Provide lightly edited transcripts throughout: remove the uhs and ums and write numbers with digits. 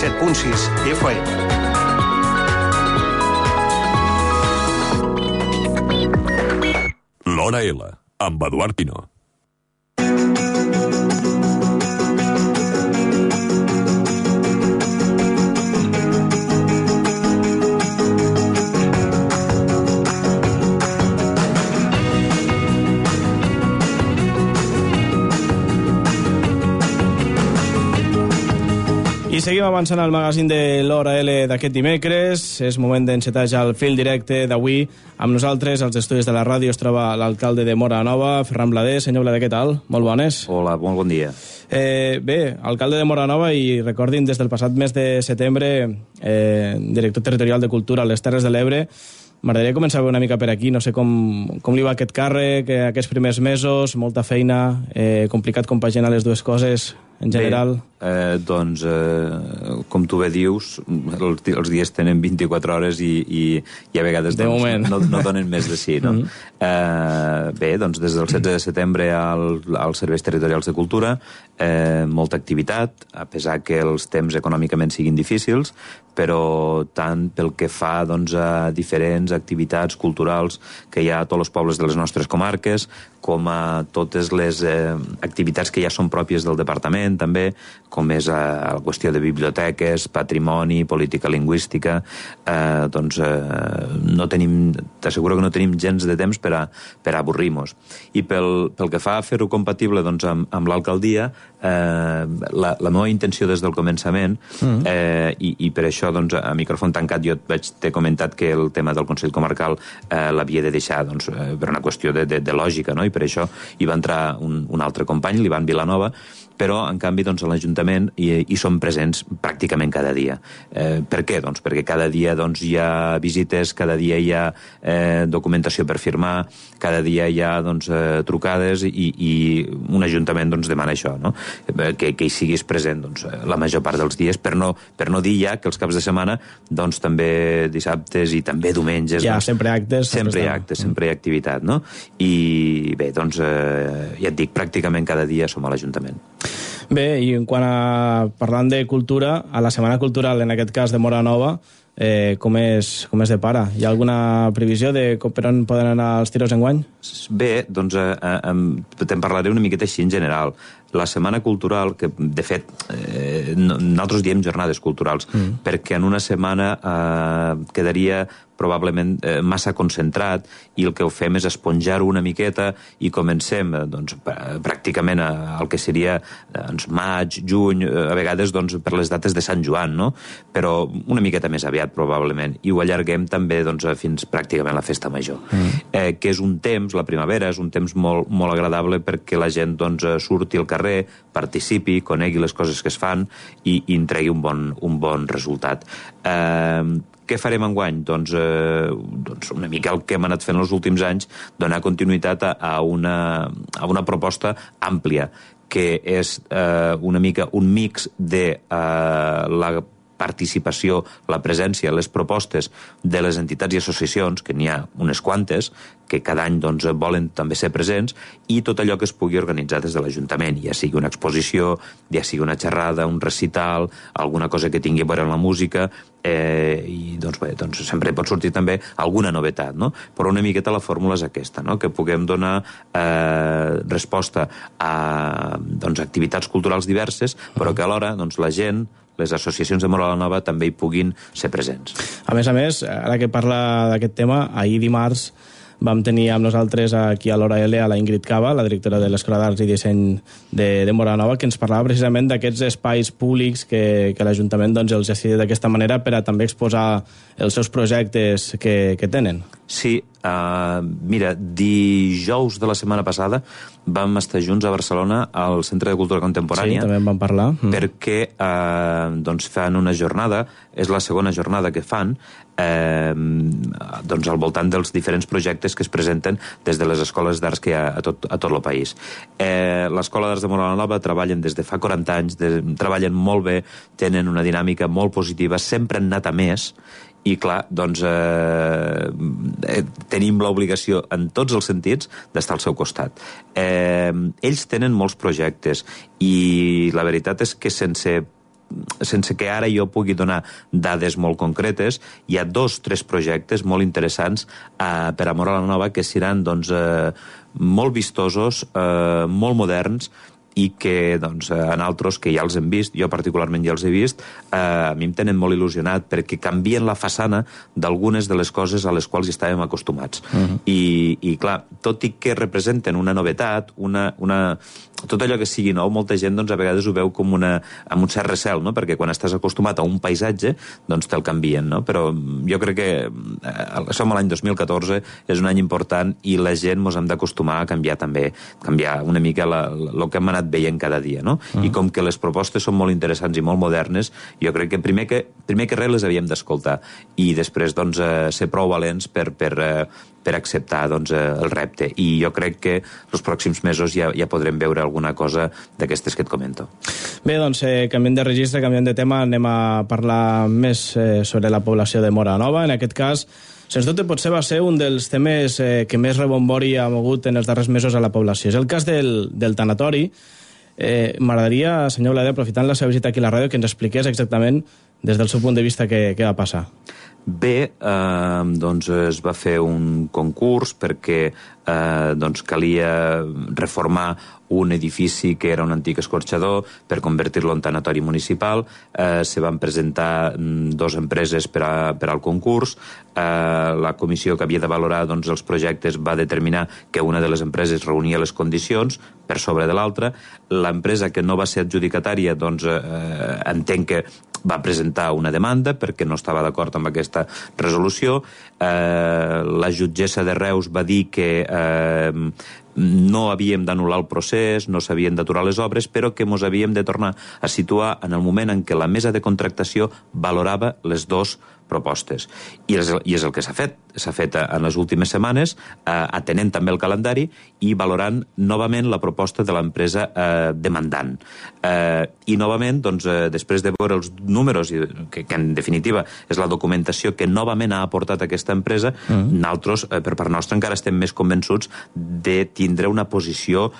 107.6 FM. L'Hora L, amb Eduard Pino. I seguim avançant al magazín de l'Hora L d'aquest dimecres. És moment d'encetar ja el fil directe d'avui. Amb nosaltres, als estudis de la ràdio, es troba l'alcalde de Móra la Nova, Ferran Blader. Senyor Blader, què tal? Molt bones. Hola, molt bon dia. Bé, alcalde de Móra la Nova, i recordin, des del passat mes de setembre, director territorial de Cultura a les Terres de l'Ebre. M'agradaria començar una mica per aquí. No sé com li va aquest càrrec, aquests primers mesos, molta feina, complicat compaginar les dues coses en general. Com tu bé dius, els dies tenen 24 hores i a vegades no donen més de si, no? Bé, doncs des del 16 de setembre als Serveis Territorials de Cultura, molta activitat, a pesar que els temps econòmicament siguin difícils, però tant pel que fa a diferents activitats culturals que hi ha a tots els pobles de les nostres comarques, com a totes les activitats que ja són pròpies del departament, també, com és la qüestió de biblioteques, patrimoni, política lingüística, t'asseguro que no tenim gens de temps per a avorrir-nos. I pel que fa a fer-ho compatible amb l'alcaldia, la meva intenció des del començament, i per això a micròfon tancat jo t'he comentat que el tema del Consell Comarcal l'havia de deixar per una qüestió de lògica, no? I per això hi va entrar un altre company, l'Ivan Vilanova, però, en canvi, a l'Ajuntament hi som presents pràcticament cada dia. Per què? Perquè cada dia hi ha visites, cada dia hi ha documentació per firmar, cada dia hi ha trucades, i un Ajuntament demana això, no? Que hi siguis present la major part dels dies, per no dir ja que els caps de setmana també dissabtes i també diumenges... Sempre actes. Sempre hi ha actes, sempre hi ha activitat, no? I bé, ja et dic, pràcticament cada dia som a l'Ajuntament. Bé, i parlant de cultura, a la Setmana Cultural, en aquest cas de Móra la Nova, com es depara? Hi ha alguna previsió de per on poden anar els tiros enguany? Bé, te'n parlaré una miqueta així en general. La Setmana Cultural, que de fet nosaltres diem jornades culturals, perquè en una setmana quedaria probablement massa concentrat, i el que ho fem és esponjar-ho una miqueta i comencem pràcticament al que seria maig, juny, a vegades per les dates de Sant Joan, no? Però una miqueta més aviat probablement, i ho allarguem també fins pràcticament la Festa Major, que és un temps, la primavera és un temps molt, molt agradable perquè la gent surti al carrer, participi, conegui les coses que es fan i en tregui un bon resultat. Què farem enguany? Una mica el que hem anat fent els últims anys, donar continuïtat a una proposta àmplia, que és una mica un mix de la participació, la presència, les propostes de les entitats i associacions, que n'hi ha unes quantes, que cada any volen també ser presents, i tot allò que es pugui organitzar des de l'Ajuntament, ja sigui una exposició, ja sigui una xerrada, un recital, alguna cosa que tingui a veure amb la música, i sempre pot sortir també alguna novetat, no? Però una miqueta la fórmula és aquesta, no? Que puguem donar resposta a activitats culturals diverses, però que alhora la gent, les associacions de Móra la Nova també hi puguin ser presents. A més, ara que parla d'aquest tema, ahir dimarts vam tenir amb nosaltres aquí a l'Hora L a la Ingrid Cava, la directora de l'Escola d'Arts i Disseny de Móra la Nova, que ens parlava precisament d'aquests espais públics que l'Ajuntament els ha cedit d'aquesta manera per a també exposar els seus projectes que tenen. Sí, mira, dijous de la setmana passada vam estar junts a Barcelona al Centre de Cultura Contemporània. Sí, també en vam parlar. Perquè fan una jornada, és la segona jornada que fan, al voltant dels diferents projectes que es presenten des de les escoles d'arts que hi ha a tot el país. L'Escola d'Arts de Móra la Nova treballen des de fa 40 anys, treballen molt bé, tenen una dinàmica molt positiva, sempre han anat a més, i clar, tenim l'obligació en tots els sentits d'estar al seu costat. Ells tenen molts projectes i la veritat és que sense sense que ara jo pugui donar dades molt concretes, hi ha 2-3 projectes molt interessants per a Móra la Nova que seran doncs, molt vistosos, molt moderns, i que doncs, en altres que ja els hem vist, jo particularment ja els he vist, a mi em tenen molt il·lusionat perquè canvien la façana d'algunes de les coses a les quals hi estàvem acostumats. I clar, tot i que representen una novetat, tot allò que sigui nou, molta gent doncs, a vegades ho veu com amb un cert recel, no? Perquè quan estàs acostumat a un paisatge doncs te'l canvien, no? Però jo crec que som a l'any 2014, és un any important i la gent ens hem d'acostumar a canviar també, canviar una mica el que hem anat veient cada dia, no? I com que les propostes són molt interessants i molt modernes, jo crec que primer que res les havíem d'escoltar i després doncs, ser prou valents per acceptar doncs, el repte. I jo crec que els pròxims mesos ja podrem veure alguna cosa d'aquestes que et comento. Bé, doncs, canviem de registre, canviem de tema, anem a parlar més sobre la població de Móra Nova. En aquest cas, sens dubte, potser va ser un dels temes que més rebombori ha mogut en els darrers mesos a la població. És el cas del tanatori. M'agradaria, senyor Blader, aprofitant la seva visita aquí a la ràdio, que ens expliqués exactament, des del seu punt de vista, què va passar. Bé, doncs es va fer un concurs perquè doncs calia reformar un edifici que era un antic escorxador per convertir-lo en tanatori municipal. Se van presentar 2 empreses per al concurs. La comissió que havia de valorar doncs, els projectes va determinar que una de les empreses reunia les condicions per sobre de l'altra. L'empresa que no va ser adjudicatària doncs, entenc que va presentar una demanda perquè no estava d'acord amb aquesta resolució. La jutgessa de Reus va dir que no havíem d'anul·lar el procés, no s'havien d'aturar les obres, però que ens havíem de tornar a situar en el moment en què la mesa de contractació valorava les 2 propostes. I és el que s'ha fet. S'ha fet en les últimes setmanes, atenent també el calendari i valorant novament la proposta de l'empresa demandant. I novament, doncs, després de veure els números, que en definitiva és la documentació que novament ha aportat aquesta empresa, nosaltres, per part nostra, encara estem més convençuts de tindre una posició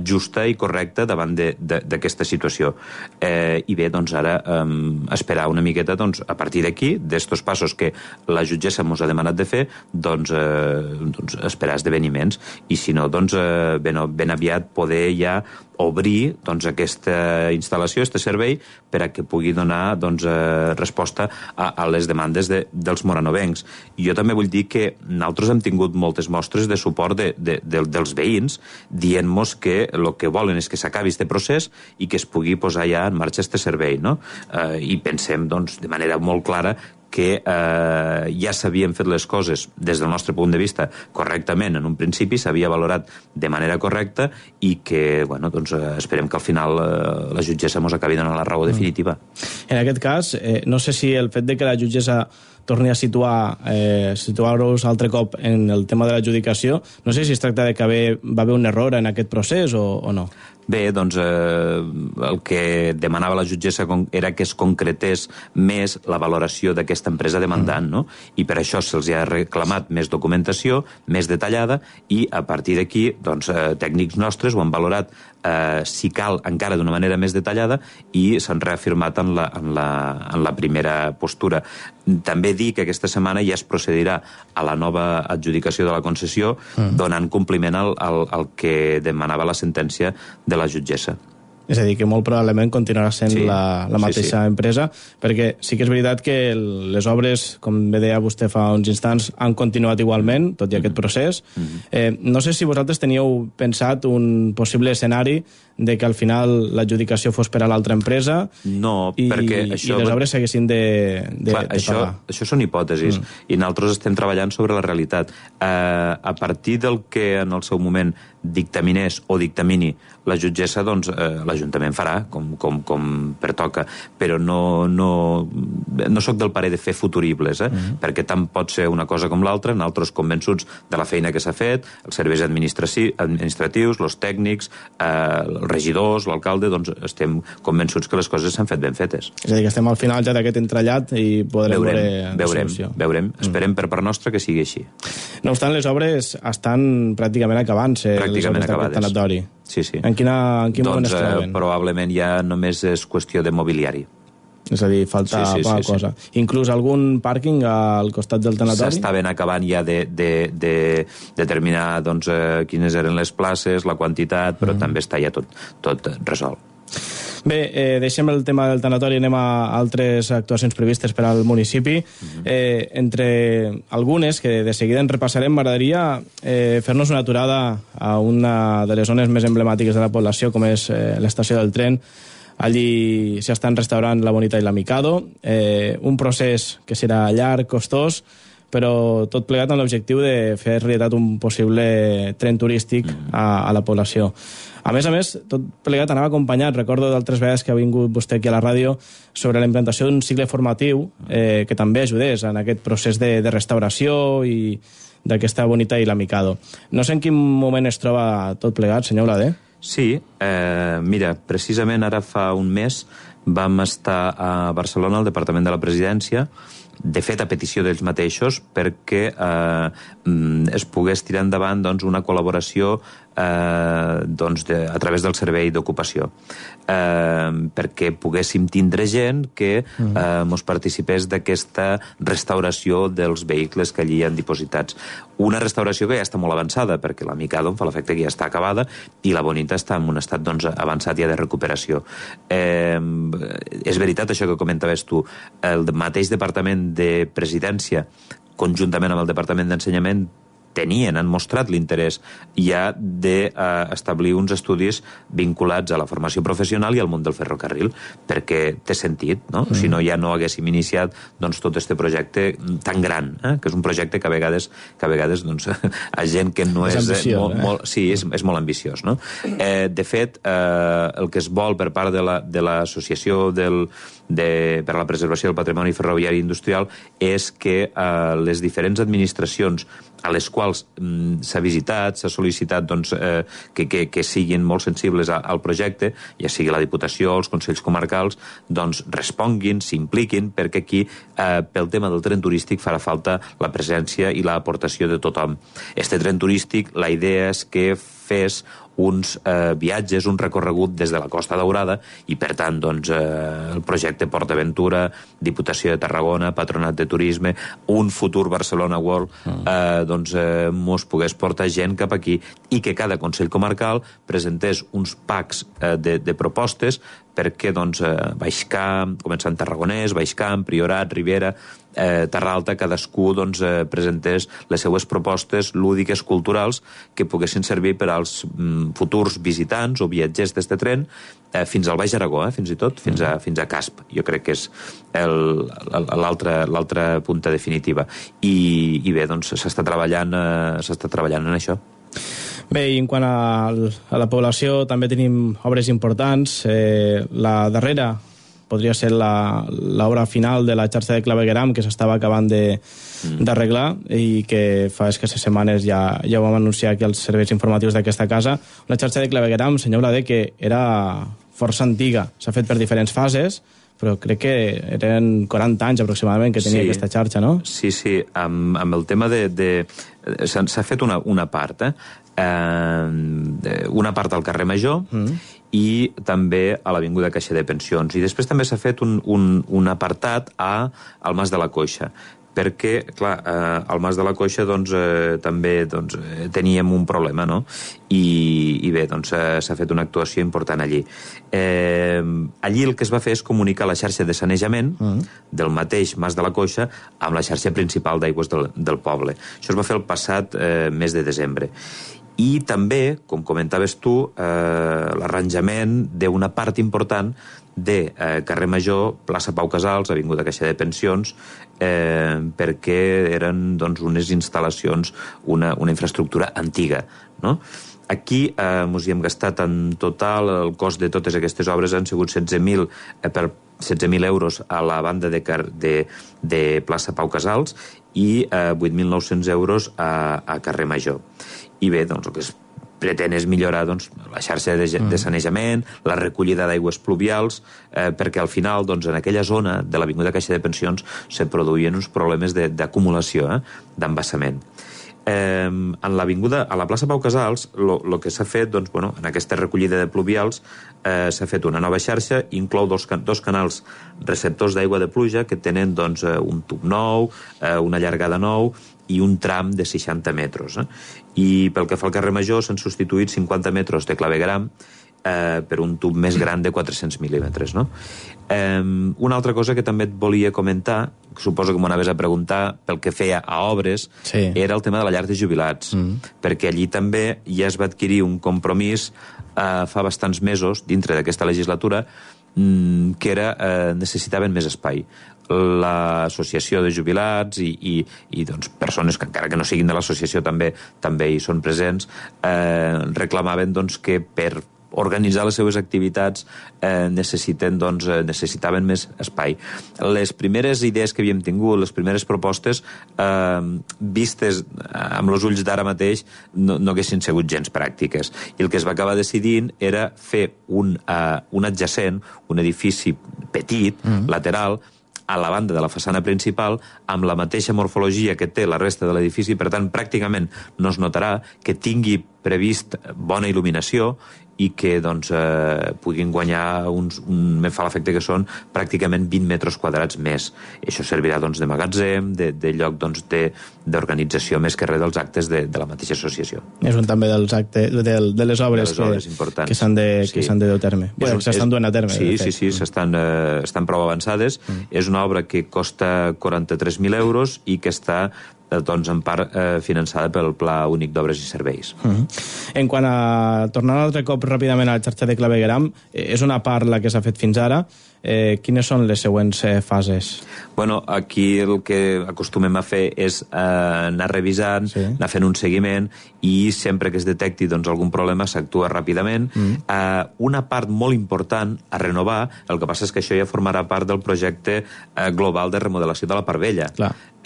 justa i correcta davant d'aquesta situació. I bé, doncs ara esperar una miqueta, doncs, a partir d'aquí, d'estos passos que la jutgessa ens ha demanat de fer, doncs esperar esdeveniments i si no, doncs ben aviat poder ja obrir doncs, aquesta instal·lació, aquest servei, per a que pugui donar doncs, resposta a les demandes dels moranovencs. Jo també vull dir que nosaltres hem tingut moltes mostres de suport dels veïns dient-nos que el que volen és que s'acabi aquest procés i que es pugui posar ja en marxa aquest servei, no? I pensem doncs, de manera molt clara que ja s'havien fet les coses des del nostre punt de vista correctament en un principi, s'havia valorat de manera correcta i que, bueno, doncs esperem que al final la jutgessa ens acabi donant la raó definitiva. En aquest cas, no sé si el fet de que la jutgessa torni a situar-nos altre cop en el tema de l'adjudicació, no sé si es tracta de que va haver un error en aquest procés o no. Bé, doncs el que demanava la jutgessa era que es concretés més la valoració d'aquesta empresa demandant, no? I per això se'ls ha reclamat més documentació, més detallada, i a partir d'aquí, doncs, tècnics nostres ho han valorat, si cal, encara d'una manera més detallada, i s'han reafirmat en la primera postura. També dir que aquesta setmana ja es procedirà a la nova adjudicació de la concessió, donant compliment al que demanava la sentència de la jutgessa. És a dir, que molt probablement continuarà sent la mateixa empresa, perquè sí que és veritat que les obres, com bé deia vostè fa uns instants, han continuat igualment, tot i aquest procés. No sé si vosaltres teníeu pensat un possible escenari de que al final l'adjudicació fos per a l'altra empresa perquè això... i les obres s'haguessin de pagar. Això són hipòtesis, i nosaltres estem treballant sobre la realitat. A partir del que en el seu moment dictaminés o dictamini la jutgessa, doncs l'Ajuntament farà com pertoca, però no soc del parer de fer futuribles, perquè tant pot ser una cosa com l'altra, nosaltres convençuts de la feina que s'ha fet, els serveis administratius, els tècnics, els regidors, l'alcalde, doncs estem convençuts que les coses s'han fet ben fetes. És a dir, que estem al final ja d'aquest entrellat i podrem veure la solució. Veurem. Esperem per part nostra que sigui així. No obstant, les obres estan pràcticament acabant-se. Pràcticament acabades. Tanatori. Sí. En quin moment es troben? Probablement ja només és qüestió de mobiliari. És a dir, falta poca cosa. Inclús algun pàrquing al costat del tanatori? S'estaven acabant ja de determinar doncs, quines eren les places, la quantitat, però també està ja tot resolt. Bé, deixem el tema del tanatori, anem a altres actuacions previstes per al municipi. Entre algunes, que de seguida en repassarem, m'agradaria fer-nos una aturada a una de les zones més emblemàtiques de la població, com és l'estació del tren. Allí s'estan restaurant la Bonita i la Mikado, un procés que serà llarg, costós, però tot plegat amb l'objectiu de fer realitat un possible tren turístic a la població. A més, tot plegat anava acompanyat, recordo d'altres vegades que ha vingut vostè aquí a la ràdio, sobre la implantació d'un cicle formatiu que també ajudés en aquest procés de restauració i d'aquesta Bonita i la Mikado. No sé en quin moment es troba tot plegat, senyor Olader. Sí, mira, precisament ara fa un mes vam estar a Barcelona, al Departament de la Presidència, de fet a petició d'ells mateixos, perquè es pogués tirar endavant una col·laboració a través del Servei d'Ocupació, perquè poguéssim tindre gent que mos participés d'aquesta restauració dels vehicles que allí hi han dipositats. Una restauració que ja està molt avançada, perquè la Mikado em fa l'efecte que ja està acabada i la Bonita està en un estat avançat ja de recuperació. És veritat això que comentaves tu, el mateix Departament de Presidència, conjuntament amb el Departament d'Ensenyament, han mostrat l'interès ja d'establir uns estudis vinculats a la formació professional i al món del ferrocarril, perquè té sentit, no? Si no, ja no haguéssim iniciat tot aquest projecte tan gran, que és un projecte que a vegades a gent que no és... Sí, és molt ambiciós, no? De fet, el que es vol per part de l'Associació per a la Preservació del Patrimoni Ferroviari i Industrial és que les diferents administracions a les quals s'ha visitat, s'ha sol·licitat que siguin molt sensibles al projecte, ja sigui la Diputació, els Consells Comarcals, responguin, s'impliquin, perquè aquí, pel tema del tren turístic, farà falta la presència i l'aportació de tothom. Este tren turístic, la idea és que fes uns viatges, un recorregut des de la Costa Daurada i, per tant, el projecte Port Aventura, Diputació de Tarragona, Patronat de Turisme, un futur Barcelona World, mos pogués portar gent cap aquí i que cada Consell Comarcal presentés uns packs de propostes perquè Baixcamp, començant Tarragonès, Baixcamp, Priorat, Ribera, Terra Alta, cadascú presentés les seues propostes lúdiques, culturals, que poguessin servir per als futurs visitants o viatgers d'este tren fins al Baix Aragó, fins i tot, fins a Casp. Jo crec que és l'altra punta definitiva. I bé, s'està treballant en això. Bé, i en quant a la població també tenim obres importants. La darrera podria ser l'obra final de la xarxa de clavegueram que s'estava acabant d'arreglar i que fa escasses setmanes ja ho vam anunciar aquí als serveis informatius d'aquesta casa. Una xarxa de clavegueram, senyor Olader, que era força antiga. S'ha fet per diferents fases, però crec que eren 40 anys aproximadament que tenia aquesta xarxa, no? Sí, amb el tema s'ha fet una part, una part al carrer Major i també a l'Avinguda Caixa de Pensions. I després també s'ha fet un apartat al Mas de la Coixa, perquè, clar, al Mas de la Coixa també teníem un problema, no? I bé, s'ha fet una actuació important allí. Allí el que es va fer és comunicar la xarxa de sanejament del mateix Mas de la Coixa amb la xarxa principal d'aigües del poble. Això es va fer el passat mes de desembre. I també, com comentaves tu, l'arranjament d'una part important de carrer Major, plaça Pau Casals, Avinguda Caixa de Pensions, perquè eren unes instal·lacions, una infraestructura antiga, no? Aquí ens hi hem gastat en total, el cost de totes aquestes obres han sigut 16.000 euros a la banda de plaça Pau Casals i 8.900 euros a carrer Major. I bé, el que es pretén és millorar la xarxa de sanejament, la recollida d'aigües pluvials, perquè al final, en aquella zona de l'Avinguda Caixa de Pensions se produïen uns problemes d'acumulació, d'embassament. En l'avinguda, a la plaça Pau Casals, el que s'ha fet, doncs, bueno, en aquesta recollida de pluvials, s'ha fet una nova xarxa, inclou dos canals receptors d'aigua de pluja que tenen, doncs, un tub nou, una llargada nou i un tram de 60 metres. I pel que fa al carrer Major s'han substituït 50 metres de clavegram per un tub més gran de 400 mil·límetres. No? Una altra cosa que també et volia comentar, que suposo que m'ho anaves a preguntar pel que feia a obres, era el tema de la llar de jubilats, perquè allí també ja es va adquirir un compromís fa bastants mesos, dintre d'aquesta legislatura, que era necessitaven més espai. L'associació de jubilats i doncs, persones que encara que no siguin de l'associació també hi són presents, reclamaven doncs, que per organitzar les seves activitats necessitaven més espai. Les primeres idees que havíem tingut, les primeres propostes, vistes amb els ulls d'ara mateix, no haguessin sigut gens pràctiques. I el que es va acabar decidint era fer un adjacent, un edifici petit, lateral, a la banda de la façana principal, amb la mateixa morfologia que té la resta de l'edifici, per tant, pràcticament no es notarà, que tingui previst bona il·luminació i que doncs, puguin guanyar me fa l'efecte que són pràcticament 20 metres quadrats més. I això servirà doncs, de magatzem, de lloc doncs, d'organització més que res dels actes de la mateixa associació. És un també dels actes, de les obres que s'han de dur a terme. Bueno, s'estan duent a terme. Sí, estan prou avançades. És una obra que costa 43.000 euros i que està doncs, en part finançada pel Pla Únic d'Obres i Serveis. En quant a tornar un altre cop ràpidament a la xarxa de clavegueram, és una part la que s'ha fet fins ara. Quines són les següents fases? Bueno, aquí el que acostumem a fer és anar revisant, anar fent un seguiment i sempre que es detecti doncs, algun problema s'actua ràpidament. Una part molt important a renovar, el que passa és que això ja formarà part del projecte global de remodelació de la Part Vella.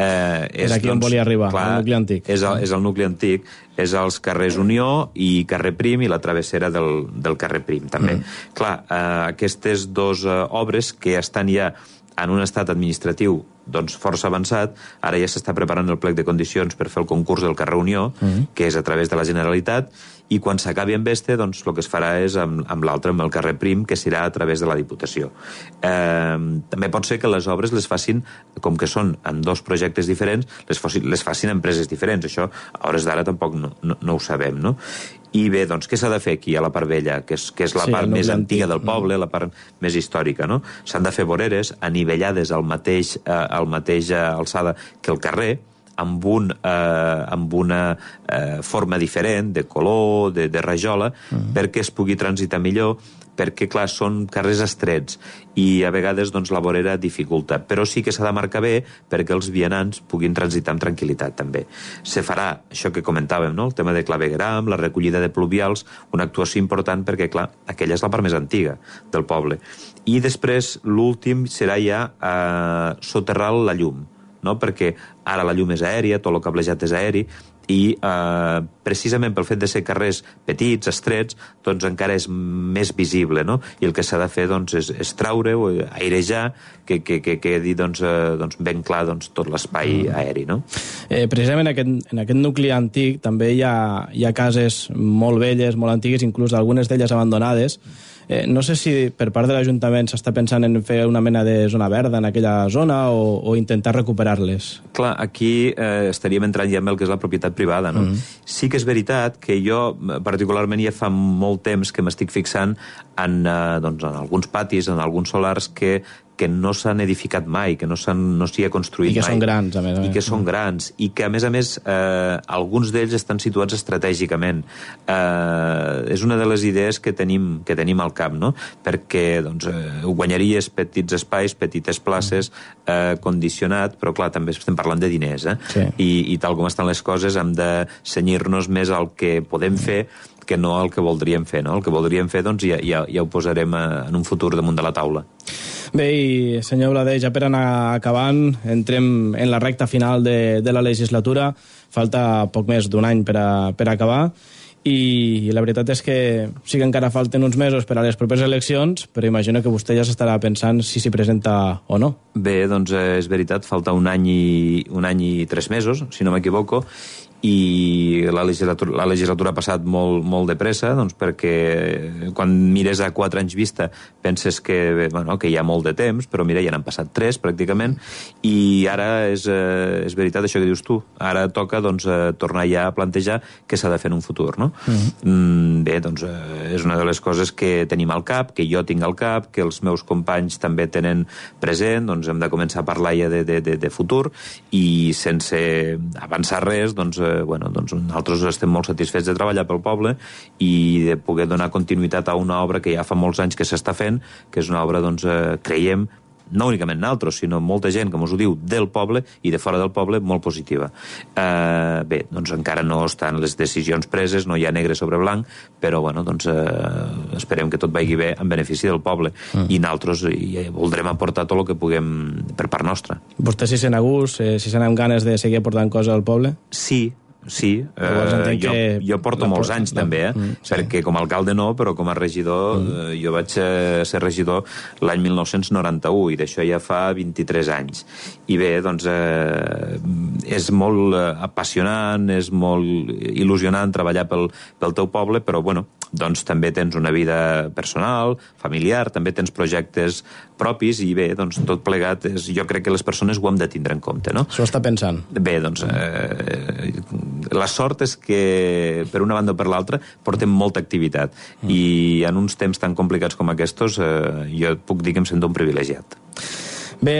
És aquí on volia arribar, el nucli antic. És el nucli antic, és els carrers Unió i carrer Prim i la travessera del carrer Prim, també. Clar, aquestes dues obres que estan ja en un estat administratiu doncs, força avançat, ara ja s'està preparant el plec de condicions per fer el concurs del carrer Unió, que és a través de la Generalitat, i quan s'acabi amb este, doncs, el que es farà és amb l'altre, amb el carrer Prim, que serà a través de la Diputació. També pot ser que les obres les facin, com que són en dos projectes diferents, les facin empreses diferents. Això, a hores d'ara, tampoc no ho sabem, no? I bé, doncs, què s'ha de fer aquí a la Part Vella, que és la part més antiga del poble, la part més històrica, no? S'han de fer voreres anivellades al mateix alçada que el carrer, amb una forma diferent, de color, de rajola, perquè es pugui transitar millor, perquè, clar, són carrers estrets i a vegades doncs, la vorera dificulta, però sí que s'ha de marcar bé perquè els vianants puguin transitar amb tranquil·litat, també. Se farà això que comentàvem, no? El tema de clavegueram, la recollida de pluvials, una actuació important perquè, clar, aquella és la part més antiga del poble. I després, l'últim serà ja soterrar la llum, no? Perquè ara la llum és aèria, tot el cablejat és aeri, i precisament pel fet de ser carrers petits, estrets, doncs encara és més visible, no? I el que s'ha de fer doncs, és traure-ho, airejar, que quedi doncs, ben clar doncs, tot l'espai aeri, no? Precisament en aquest nucli antic també hi ha cases molt velles, molt antigues, inclús algunes d'elles abandonades. No sé si per part de l'Ajuntament s'està pensant en fer una mena de zona verda en aquella zona o intentar recuperar-les. Clar, aquí estaríem entrant ja amb el que és la propietat privada, no? Sí que és veritat que jo, particularment, ja fa molt temps que m'estic fixant en alguns patis, en alguns solars que no s'han edificat mai, que no s'hi ha construït mai. I que són grans, a més. I que són grans. I que, a més, alguns d'ells estan situats estratègicament. És una de les idees que tenim al cap, no? Perquè guanyaries petits espais, petites places, condicionat, però, clar, també estem parlant de diners, I tal com estan les coses, hem de cenyir-nos més al que podem fer que no el que voldríem fer, no? El que voldríem fer, doncs, ja ho posarem en un futur damunt de la taula. Bé, i senyor Blader, ja per anar acabant, entrem en la recta final de la legislatura, falta poc més d'un any per acabar, i la veritat és que sí que encara falten uns mesos per a les properes eleccions, però imagino que vostè ja s'estarà pensant si s'hi presenta o no. Bé, doncs és veritat, falta un any i 3 mesos, si no m'equivoco, i la legislatura ha passat molt de pressa, doncs perquè quan mires a 4 anys vista penses que hi ha molt de temps, però mira, ja n'han passat 3 pràcticament, i ara és veritat això que dius tu, ara toca doncs, tornar ja a plantejar què s'ha de fer en un futur, no? Bé, doncs és una de les coses que tenim al cap, que jo tinc al cap, que els meus companys també tenen present, doncs hem de començar a parlar ja de futur, i sense avançar res, doncs nosaltres estem molt satisfets de treballar pel poble i de poder donar continuïtat a una obra que ja fa molts anys que s'està fent, que és una obra, doncs, creiem, no únicament nosaltres, sinó molta gent, com us ho diu, del poble i de fora del poble, molt positiva. Bé, doncs encara no estan les decisions preses, no hi ha negre sobre blanc, però esperem que tot vagi bé en benefici del poble, i nosaltres voldrem aportar tot el que puguem per part nostra. Vostè si sent a gust, si sent amb ganes de seguir aportant coses al poble? Sí, jo porto molts anys també, perquè com a alcalde no, però com a regidor jo vaig ser regidor l'any 1991 i d'això ja fa 23 anys. I bé, doncs és molt apassionant, és molt il·lusionant treballar pel teu poble, però bueno, doncs també tens una vida personal, familiar, també tens projectes propis i bé, doncs tot plegat jo crec que les persones ho hem de tindre en compte, no? Això està pensant. Bé, doncs la sort és que per una banda o per l'altra portem molta activitat i en uns temps tan complicats com aquests jo puc dir que em sento un privilegiat. Bé,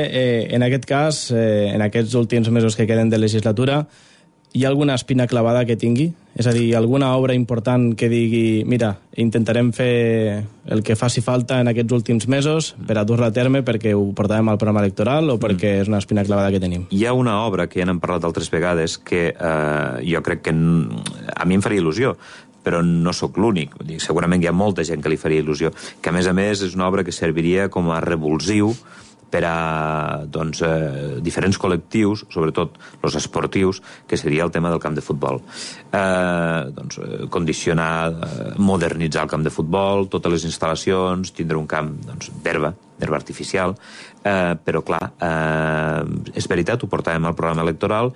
en aquest cas, en aquests últims mesos que queden de legislatura, hi ha alguna espina clavada que tingui? És a dir, alguna obra important que digui, mira, intentarem fer el que faci falta en aquests últims mesos per a dur-la a terme perquè ho portàvem al programa electoral o perquè és una espina clavada que tenim? Hi ha una obra que ja n'hem parlat altres vegades que jo crec que a mi em faria il·lusió, però no sóc l'únic. Segurament hi ha molta gent que li faria il·lusió, que a més és una obra que serviria com a revulsiu per a diferents col·lectius, sobretot els esportius, que seria el tema del camp de futbol. Condicionar, modernitzar el camp de futbol, totes les instal·lacions, tindre un camp d'herba artificial, però clar, és veritat, ho portàvem al programa electoral.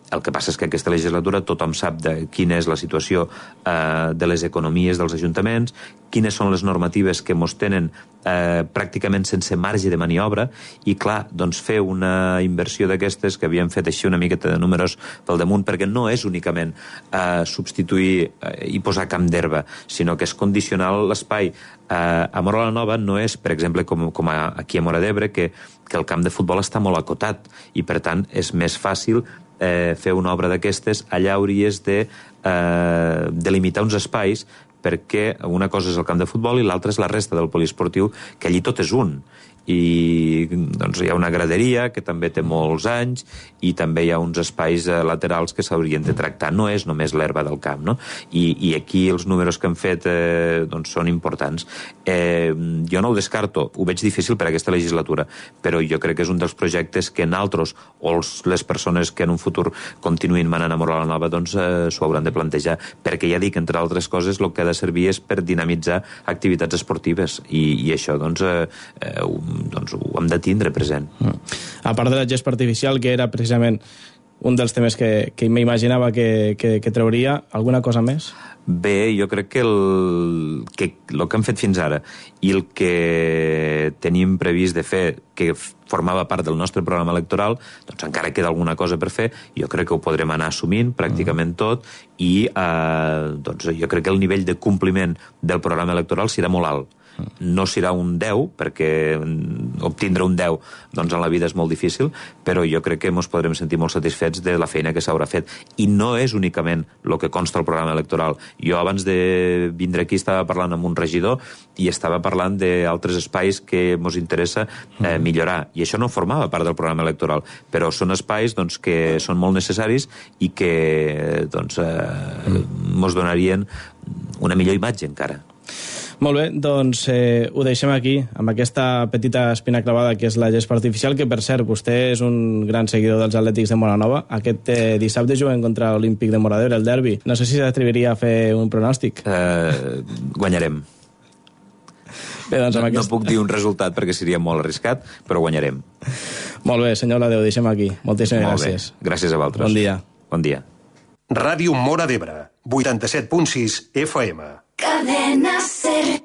El que passa és que aquesta legislatura tothom sap quina és la situació de les economies dels ajuntaments, quines són les normatives que mos tenen pràcticament sense marge de maniobra, i clar, doncs fer una inversió d'aquestes que havíem fet així una miqueta de números pel damunt, perquè no és únicament substituir i posar camp d'herba, sinó que és condicionar l'espai. A Móra la Nova no és, per exemple, com aquí a Móra d'Ebre, que el camp de futbol està molt acotat i per tant és més fàcil fer una obra d'aquestes. Allà hauries de delimitar uns espais, perquè una cosa és el camp de futbol i l'altra és la resta del poliesportiu, que allí tot és un. I doncs hi ha una graderia que també té molts anys i també hi ha uns espais laterals que s'haurien de tractar. No és només l'herba del camp, no? I aquí els números que hem fet són importants. Jo no ho descarto, ho veig difícil per a aquesta legislatura, però jo crec que és un dels projectes que nosaltres o les persones que en un futur continuïn manant a Móra la Nova s'ho hauran de plantejar, perquè ja dic, entre altres coses, el que ha de servir és per dinamitzar activitats esportives i això ho hem de tindre present. A part de la gespa artificial, que era precisament un dels temes que m'imaginava que trauria, alguna cosa més? Bé, jo crec que el que hem fet fins ara i el que tenim previst de fer, que formava part del nostre programa electoral, doncs encara queda alguna cosa per fer, jo crec que ho podrem anar assumint pràcticament tot, i jo crec que el nivell de compliment del programa electoral serà molt alt. No serà un 10, perquè obtindre un 10 en la vida és molt difícil, però jo crec que ens podrem sentir molt satisfets de la feina que s'haurà fet. I no és únicament el que consta al programa electoral. Jo abans de vindre aquí estava parlant amb un regidor i estava parlant d'altres espais que ens interessa millorar. I això no formava part del programa electoral, però són espais que són molt necessaris i que ens donarien una millor imatge encara. Molt bé, doncs ho deixem aquí, amb aquesta petita espina clavada que és la gespa artificial, que per cert, vostè és un gran seguidor dels Atlètics de Móra Nova. Aquest dissabte juguen contra l'Olímpic de Móra d'Ebre, el derbi. No sé si s'atreviria a fer un pronòstic. Guanyarem. Bé, doncs no puc dir un resultat perquè seria molt arriscat, però guanyarem. Molt bé, senyor Ladeu, deixem aquí. Moltíssimes gràcies. Gràcies a vosaltres. Bon dia. Bon dia. Ràdio Móra d'Ebre, 87.6 FM. Cadena Ser.